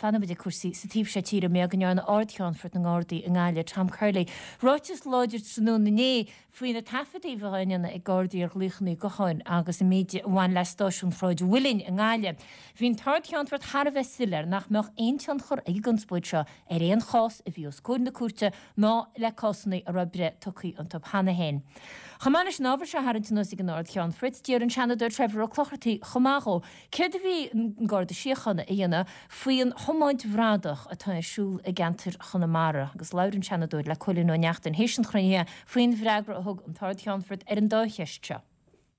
Fanfaidh muid ag cúrsaí sa taobh seo tíre mar go ndearna Ard-Cheannfort na nGardaí i nGaillimh, Tom Curley, ráiteas láidir tráthnóna inné faoi na taifeadtaí a bheadh á ndéanamh ag Gardaí ar ghlaochanna gutháin agus an méid a bhain le stáisiún Shráid an Mhuilinn i nGaillimh. Bhí an tArd-Cheannfort thar a bheith soiléir nach mbeadh aon tionchar ag an gconspóid seo ar aon chás a bhí os comhair na cúirte ná le cásanna a raibh breith tugtha iontu cheana féin. Chomh maith leis an ábhar seo a tharraingt anuas ag an Ard-Cheannfort, d'iarr an Seanadóir Trevor Ó Clochartaigh chomh maith dhó céard a bhí an Garda Síochána a dhéanamh faoin thiomáint bhradach atá ar siúl i gceantar Chonamara agus labhair an Seanadóir le Cóilín Ó Neachtain théis an chruinnithe faoin bhfreagra a thug an tArd-Cheannfort ar an dá cheist seo.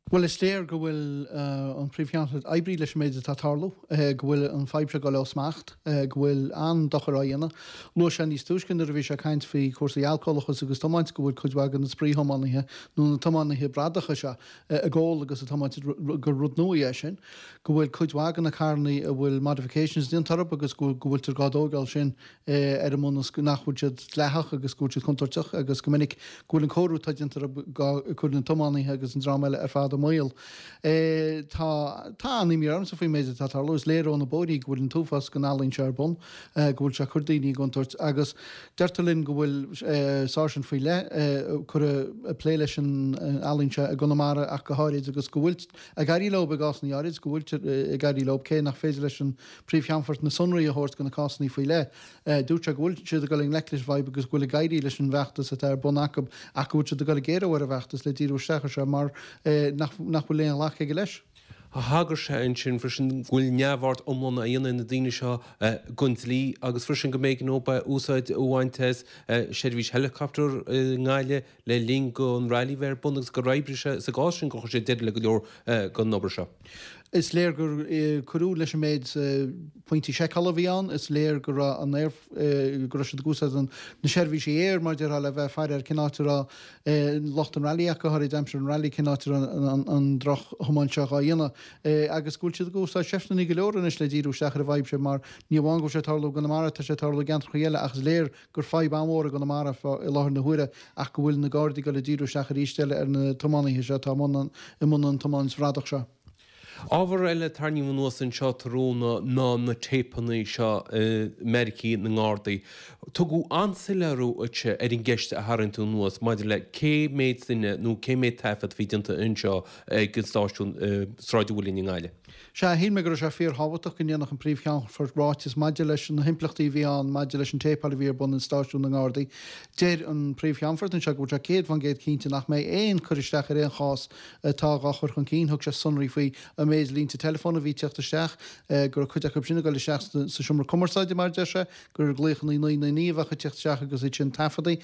Bhuel, is léir go bhfuil an Príomh-Cheannfort oibrithe leis an méid atá ag tarlú, go bhfuil an fadhb seo ag dul ó smacht, go bhfuil an-dochar á dhéanamh. Luaigh sé níos túisce nuair a bhí sé ag caint faoi chúrsaí alcólachas agus tiomáint go bhfuil cuid mhaith de na spraoithiománaithe nó na tiománaithe bradacha seo ag ól agus ag tiomáint gur rud nua é sin, go bhfuil cuid mhaith de na carrannaí a bhfuil modifications déanta orthu agus go bhfuiltear dhá dtóigeáil sin ar an mbunús nach bhfuil siad dleathach agus go bhfuil siad contúirteach agus go minic go bhfuil an cóiriú atá déanta orthu ag cur na tiománaithe agus an dream eile ar fad i mbaol. Tá tá an-imní ormsa faoin méid atá ag tarlú. Is léir ó na bóithrí go bhfuil an t-uafás den ealaín seo ar bun, go bhfuil sé ag cur daoine i gcontúirt agus deirtear linn go bhfuil sáirsint faoi leith curtha ag plé leis an ealaín seo i gConamara ach go háirid agus go bhfuil ag éirí leo i gcásanna áirid, go bhfuiltear ag éirí leo cé nach féidir leis an Príomh-Cheannfort na sonraí a thabhairt do na cásanna faoi leith. Dúirt sé go bhfuil siad ag dul i ngleic leis an bhfadhb agus go bhfuil ag éirí leis an bhfeachtas atá ar bun acu ach go bhfuil siad ag dul ag géarú ar an bhfeachtas le díriú isteach air seo mar nach bhfuil aon ghlacadh aige leis. Thagair sé ansin freisin go bhfuil neamhaird iomlán á dhéanamh ag na daoine seo den dlí agus freisin go mb'éigean dóibh úsáid a bhaint as seirbhís helicopter i nGaillimh le linn don rally bheith ar bun agus gur oibrigh sé sa gcás sin gur chuir sé deireadh le go leor den obair seo. Is léir gur cuireadh leis an méid pointí seiceála a bhí ann. Is léir go raibh an aer, go raibh siad ag úsáid na seirbhísí aeir, mar a déarfá, le bheith ag faire ar cén áit a raibh lucht an rally ach go háirid aimsir an rally, cén áit a raibh an droch-thiomáint seo dhá dhéanamh. Agus go bhfuil siad ag úsáid seifteanna go leor anois le díriú isteach ar an bhfadhb seo mar ní amháin go bhfuil sé ag tarlú i gConamara, tá sé ag tarlú i gceantracha eile ach is léir gur fadhb an-mhór i gConamara i láthair na huaire ach go bhfuil na Gardaí ag dul ag díriú isteach arís eile ar na tiománaithe seo atá i mbun an tiomáint bhradach seo. Ábhar eile a tarraingíodh anuas anseo tráthnóna ná na téipeanna seo i mbeairicí na nGardaí. Tugadh an-soiléiriú dhuitse ar an gceist a tharraing tú anuas maidir le cé méid duine nó cé méid taifead a bhí déanta anseo ag an stáisiún i Sráid an Mhuilinn i nGaillimh. Sea, shíl mé go raibh sé fíorthábhachtach go ndéanfadh an Príomh-Cheannfort ráiteas maidir leis na himpleachtaí a bhí ann maidir leis an téipeáil a bhí ar bun in stáisiún na nGardaí. Deir an Príomh-Cheannfort anseo go bhfuil sé 100% cinnte nach mbeidh aon cur isteach ar aon chás atá dhá chur chun cinn. Thug sé sonraí faoi an méid línte teileafóin a bhí ag teacht isteach, go raibh cuid acu sin ag dul isteach sa seomra cumarsáide, mar a deir sé, gur glaochanna 999 a bheadh ag teacht isteach agus iad sin taifeadta,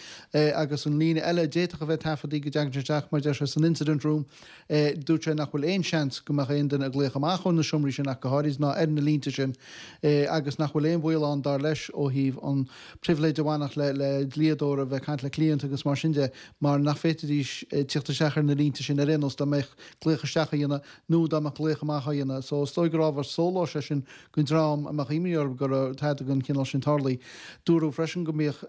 agus an líne eile a d'fhéadfadh a bheith taifeadta go dtagann sé isteach, mar a deir sé, san incident room. Dúirt sé nach bhfuil aon seans go mbeadh aon duine ag glaoch amach ó na seomraí sin ach go háirid, ná ar na línte sin, agus nach bhfuil aon bhaol ann, dar leis, ó thaobh an pribhléid a bhainfeadh le le dlíodóir a bheith ag caint le cliant agus mar sin de, mar nach bhféadfaidís tíocht isteach ar na línte sin ar aon nós dá mbeadh glaoch isteach á dhéanamh nó dá mbeadh glaoch amach á dhéanamh. So is dóigh gur ábhar sóláis é sin don dream a mbeadh imní orthu go raibh tada den chineál sin tarlaithe. Dúradh freisin go mbíodh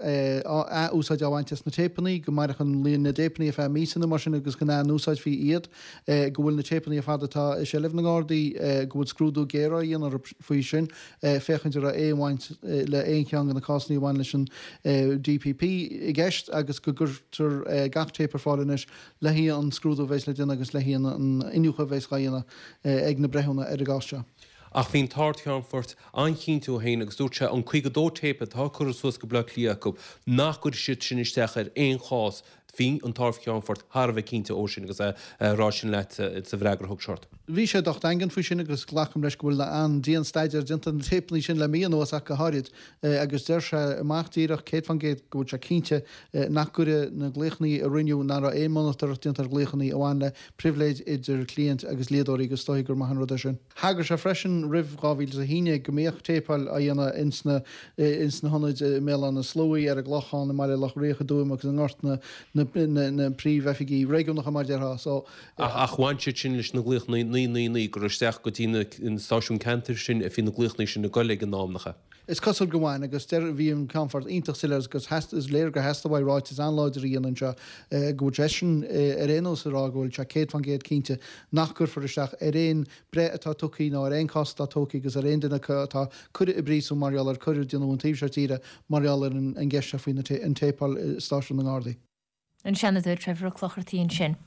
ath-úsáid á bhaint as na téipeanna, go mairfeadh an líon na dtéipeanna ar feadh míosa nó mar sin agus go n-ath-úsáidfí iad, go bhfuil na téipeanna ar fad atá i seilbh na nGardaí, go bhfuil scrúdú géar á dhéanamh orthu faoi sin, féachaint an raibh aon bhaint le aon cheann de na cásanna a bhain leis an DPP i gceist agus go gcuirtear gach téip ar fáil anois le haghaidh an scrúdú a bheas le déanamh agus le haghaidh an iniúchadh a bheas á dhéanamh ag na breithiúna ar an gcás seo. Ach bhí an tArd-Cheannfort an-chinnte dhó féin agus dúirt sé an 52 téip atá curtha suas go Baile Átha Cliath acu nach gcuirfidh siad sin isteach ar aon chás. Bhí an tArd-Cheannfort thar a bheith cinnte dhó sin agus é ag rá sin leat sa bhfreagra a thug sé ort. Bhí sé docht daingean faoi sin agus glacaim leis go bhfuil an-dian-staidéar déanta ar na téipeanna sin le mí anuas ach go háirid agus deir sé amach díreach 100% go bhfuil sé cinnte nach gcuirfidh na glaochanna a rinneadh, nach raibh aon mhonatóireacht déanta ar ghlaochanna a bhain le pribhléid idir cliaint agus dlíodóirí agus is dóigh gur maith an rud é sin. Thagair sé freisin roimh 2011 go mbíodh téipeáil á dhéanamh ins na hionaid i mBéal Átha na Sluaighe, ar an gClochán, i mBaile Locha Riach, i dTuaim agus i nGort na. na príomhoifigí réigiúnacha mar a déarfá. So. Ach bhain siad sin leis na glaochanna 999 gur isteach go dtí na stáisiúin ceantair sin a bhí na glaochanna sin ag goil ag an am, nach ea? Is cosúil go bhain, agus deir, bhí an Ceannfort iontach soiléir agus is léir gur theastaigh uaidh ráiteas an-láidir a dhéanamh anseo go bhfuil seisean ar aon nós ag rá go bhfuil sé 100% cinnte nach gcuirfear isteach ar aon breith atá tugtha nó ar aon cás atá tógtha agus ar aon duine acu atá curtha i bpríosún mar gheall ar coir a déanadh an taobh seo tíre mar gheall ar an gceist seo faoi an téipeáil i stáisiún na nGardaí. An Seanadóir Trevor Ó Clochartaigh ansin.